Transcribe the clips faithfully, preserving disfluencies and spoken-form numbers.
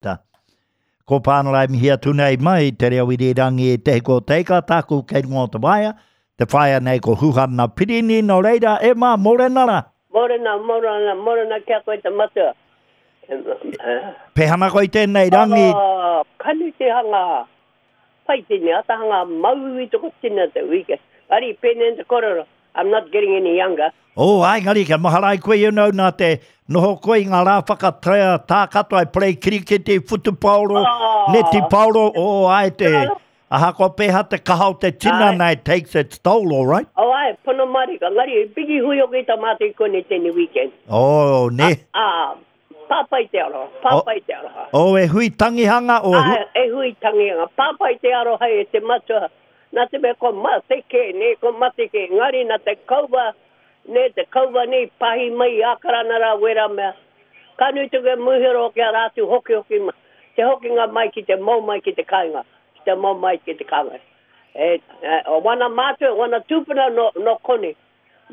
Ko Pānarai mihi atu nei mai te reo irirangi e te hiko teika tāku kei runga o te waea. Te whaea nei ko Huhana Pirini, nō reira, e mā, mōrena rā. Mōrena, mōrena, mōrena kia koe te matua. Pehana koe tēnei rangi. Oh, kanu te hanga pai tēnei, ata hanga mauiui toko tina te weekend. Ari, pēnei te korero, I'm not getting any younger. Oh, ai, ngari, kia mahara ai koe, you know, nā te noho koe i ngā rā whakatea tā katoa, e play kirikiti, whutupaoro, Oh. neti paoro, oh, ai te, ahakoa pēhea te kaha o te tinana, it takes its toll, all right? Oh, ai, pono marika, ngari, piki hui o ki tā mātou i konei tēnei weekend. Oh, ne. Ah, pāpai te aroha, pāpai te aroha. Oh, e hui tangihanga, o hu... Ah, e hui tangihanga, pāpai te aroha e te matua. Nā te mea ko mate kē, nē, ko mate kē, ngari nā te kaua, nē, te kaua nei pahi mai i Ākarana rā wera mea. Ka nui tuke muhero ki a rātou hoki hoki ma, te hokinga mai ki te mau mai ki te kāinga, ki te mau mai ki te kāinga. E, e, o wana mātua, wana tūpuna no, no kone,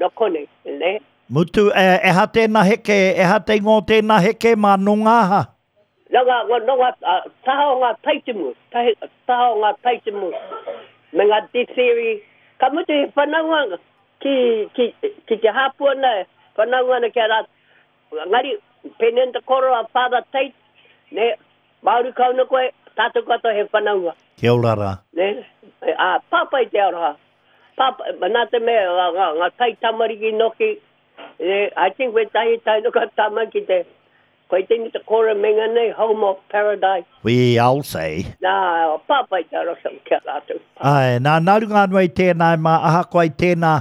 no kone, nē. Mutu, e, e ha tēnā heke, e ha te ingoa o tēnā heke mā nō ngā aha? No ngā, no ngā, taha o ngā taitimu, tahi, taha o ngā taitimu, me ngā ditheri. Ka mutu he whanaunga ki, ki, ki te hāpua nei, whanaunga ana ki a rātou. Ngari, pēnei te koro a Father Tate, ne, Māori kauna koe, tātou katoa he whanaunga. Kia ora rā. Ne, a, pāpai te aroha. Pāpai, nā te mea, ngā, ngā, ngā tai tamariki noki, ne, I think wētahi tai noka tama ki te, koe tēnei te koro menga nei, Home of Paradise. We all say. Nā, pāpai te aroha ki a rātou. Ai, nā, nā runga anō i tēnā, mā ahakoa i tēnā,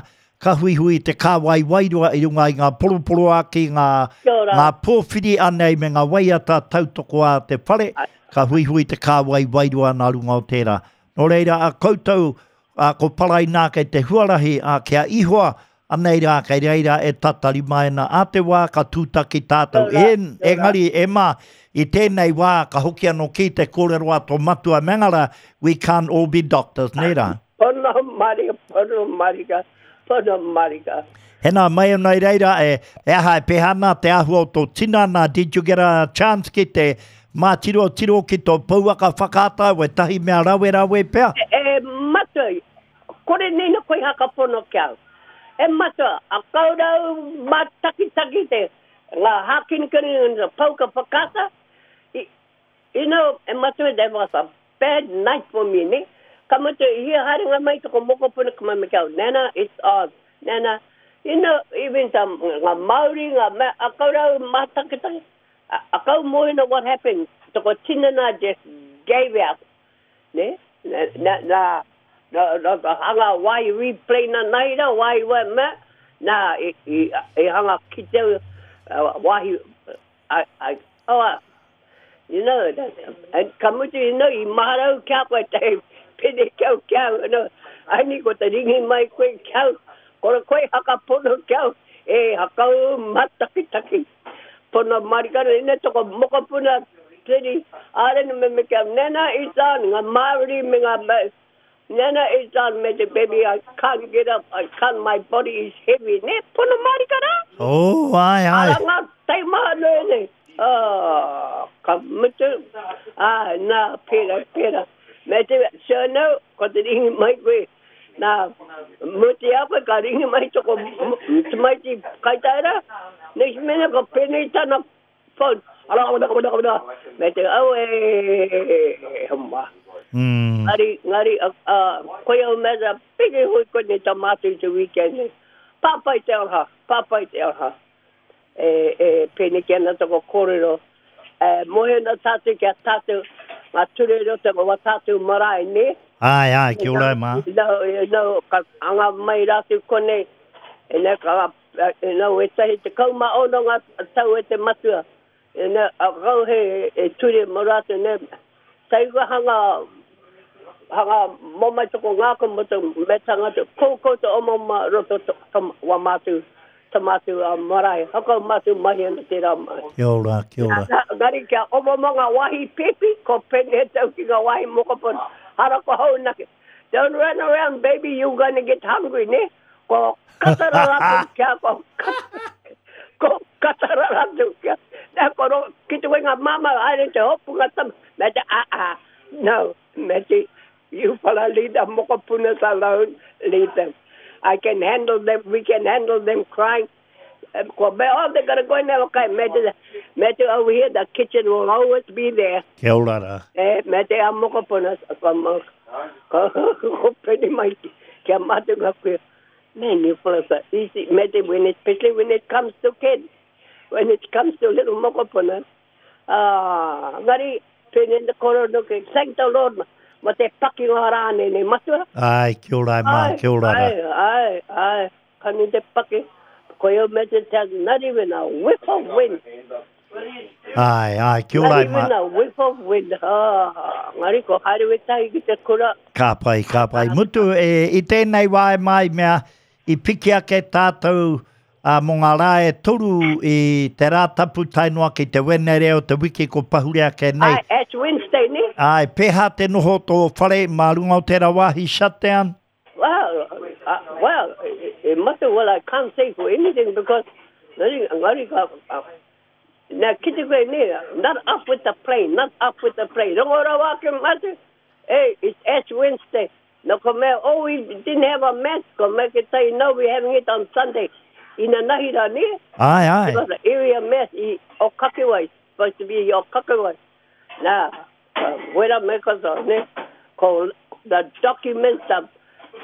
ka huihui te kāwai wairua i runga i ngā poroporoaki, ngā, Kia ora. ngā pōwhiri anei me ngā waiata tautoko a te whare, ka huihui te kāwai wairua nā runga o tērā. Nō reira, a koutou, a, ko Parainā kei te huarahi, a, kia ihoa, anei rā, kei reira e tatari mai ana. A te wā ka tūtaki tātou. Kia ora, E, kia ora. engari, e mā, i tēnei wā, ka hoki anō ki te kōrero a tō matua Mangara, we can't all be doctors, nē rā? Pono marika, pono marika, pono marika. Hena, mai anō i reira, e, e aha e pēhana te āhua o tō tinana, did you get a chance ki te mātiro tiro ki tō pouaka whakaata, wētahi mea rawe rawe pea? E, e matua, kore nei na koe hakapono ki au. E matua, a kaurau mātakitaki te ngā hākinikini ngā pauka whakaata. I, you know, e matua, that was a bad night for me, ne? Ka mutu, i hia haerenga mai toko mokopuna ka mai me ki au, Nana, it's on. Nana, you know, even some, ngā Māori, ngā mea, a kaurau mātakitaki, a, a kau mōhina what happened, toko tinana just gave out. Ne? Na, na, na, na, na, na hanga wai replay na nei rā, wai wai mea, nā, i, i, i hanga ki te uh, wahi, I, I, oh, uh, you know, that, and ka mutu, you know, i maharau kia koe te pene kia kia, you know, ai ni ko te ringi mai koe kia, kore koe hakapono kia, e hakau matakitaki. Pono marikana, ina toko mokopuna, tiri, ārena me me kia, nena i tān, ngā Māori me ngā, me, nena i tān me te baby, I can't get up, I can't, my body is heavy. Ne, pono marikana? Oh, ai, ai. Ara ngā taimaha noe nei. Oh, ka mutu, ah, nā, pera, pera. Me te, so no, ko te ringi mai koe, nā, muti a koe, ka ringi mai toko tamaiti kaitaera, next minute ko pēnei tana phone. Ara, ara, ara, ara, me te, au e, homa. Mm. Ngari, ngari, uh, uh, koe au mea, piki hui koe nei tā mātou i te weekend nei. Pāpai te aroha, pāpai te aroha. E, e, pēnei ki ana toko kōrero. E, mohe na tātou ki a tātou, ngā ture roto o wā tātou marae, ne? Ai, ai, kia ora mā. No, no, ka anga mai rātou konei, e ne, ka, e, no, e tahi te kauma ono ngā tau e te matua. E ne, a kau he e ture mo rātou, ne, taiga hanga, hanga mō mai toko ngāka mo te me tangata, koukou te omo ma roto to, to, wa mātou, ta mātou a marae. Hakau mātou mahi ana te rā mai. Kia ora, kia ora. Nā, ngari kia omo mo ngā wahi pepi, ko pene tau ki ngā wahi mokopuna. Hara ko hau nake. Don't run around, baby, you gonna get hungry, ne? Ko katara rātou kia ko katara. Ko katara rātou kia. Nā, ko ro, ki te wenga mama, haere te hopu ngā tama. Me te, ah, ah, no, me te, you follow leave the mokopunas alone, leave them. I can handle them, we can handle them crying. Um, ko me, oh, they're gonna go in there, okay, me te, me te over here, the kitchen will always be there. Kia ora rā. E, me te a mokopunas, ko, mo, ko, ko peni mai, kia mate ngā kuia. Man, you fellas are easy. Me te, when it, especially when it comes to kids, when it comes to little mokopunas. Ah, ngari, pene te koro no ke, thank the Lord, ma te paki ngā rā nei, nei matua. Ai, kia ora e mā, Ai, kia ora rā. ai, ai, ai, kani te paki. Ko iau me te te, not even a whiff of wind. Ai, ai, kia ora Not e mā. even a whiff of wind. Ah, ngari ko haere wetahi ki te kura. Ka pai, ka pai. Mutu, e, i tēnei wā e mai mea, i piki ake tātou a, mō ngā rā e toru i te rā tapu tae noa ki te Wenere o te wiki ko pahure ake nei. Ai, Ash Wednesday, ne? Ai, pēhā te noho tō whare mā runga o tērā wāhi shutdown? Well, uh, well, it, it must have, well, I can't say for anything because ngari, ngari ka, uh, na kite koe ne, not up with the plane, not up with the plane. Rongo rawa ake mate, hey, it's Ash Wednesday. No ko mea, oh, we didn't have a mass. Ko mea ke tai, no, we're having it on Sunday. Ina nahi rā ne? Ai, ai. Because the area mass i Okakiwai, supposed to be Okakiwai. Nā, uh, wera me ko ne, ko the documents, the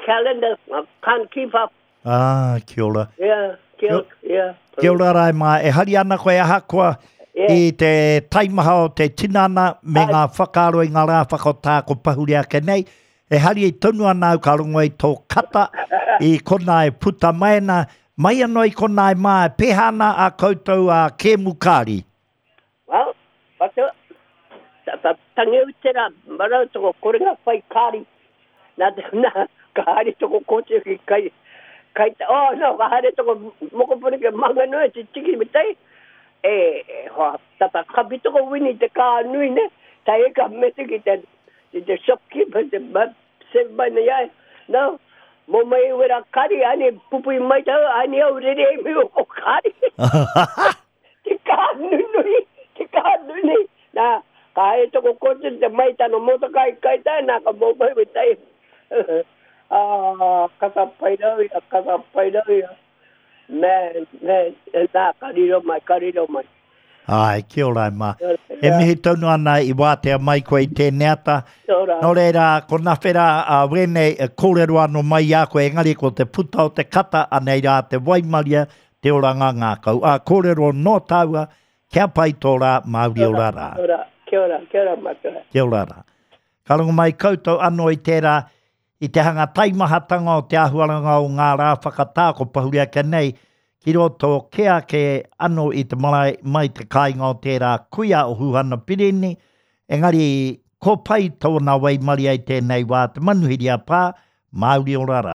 calendar, uh, can't keep up. Ah, kia ora. Yeah, kia, yeah. Kia ora rai mā, e hari ana koe ahakoa Yeah. i te taimaha o te tinana me Ai. ngā whakaaro i ngā rā whakatā ko pahure ake nei. E hari i tonu ana au ka rongo i tō kata i kona e puta mai ana. Mai anō i kona e mā, e pēhā ana a koutou a kēmu kāri. Well, whatu, ta, ta, tangi au te rā, marau toko korenga whai kāri. Nā, te- nā, ka haere toko kōti ki kai, kai, ta- oh, no, ka haere toko mokopuna ke Manganui te tiki me tai. E, e, hoa, tata kapi toko wini te kā nui ne, tai e ka mete ki te, ki te shopkeeper, te ma, se mai nei ai. No, mō mai wera kari, ane pupui mai tau, ane au rere e mi o ko kari. Te kā nunui, te kā nunui. Nā, ka haere toko kōti te mai tano motoka i kai tai, nā ka mō mai we tai. Ah, kata pai rau ia, kata pai rau ia. Man, man, nā, ka riro mai, ka riro mai. Ai, kia ora e mā. Kia ora, E mihi tonu ana i wātea mai koe i tēnei ata. Kia ora. Nō reira, ko nawhera a wēnei e kōrero anō mai i a koe, engari ko te puta o te kata, anei rā te waimaria, te oranga ngākau. A kōrero nō tāua, kia pai tō rā, Māori ora rā. Kia ora, kia ora, kia ora matua. Kia ora rā. Ka rongo mai koutou anō i tērā, i te hanga taimahatanga o te ahuaranga o ngā rā whakatā ko pahure ake nei, ki roto ke ake anō i te marae mai te kāinga o tērā kuia o Huhana Pirini, engari ko pai tōna waimaria i tēnei wā te manuhiri a pā, Māori ora rā.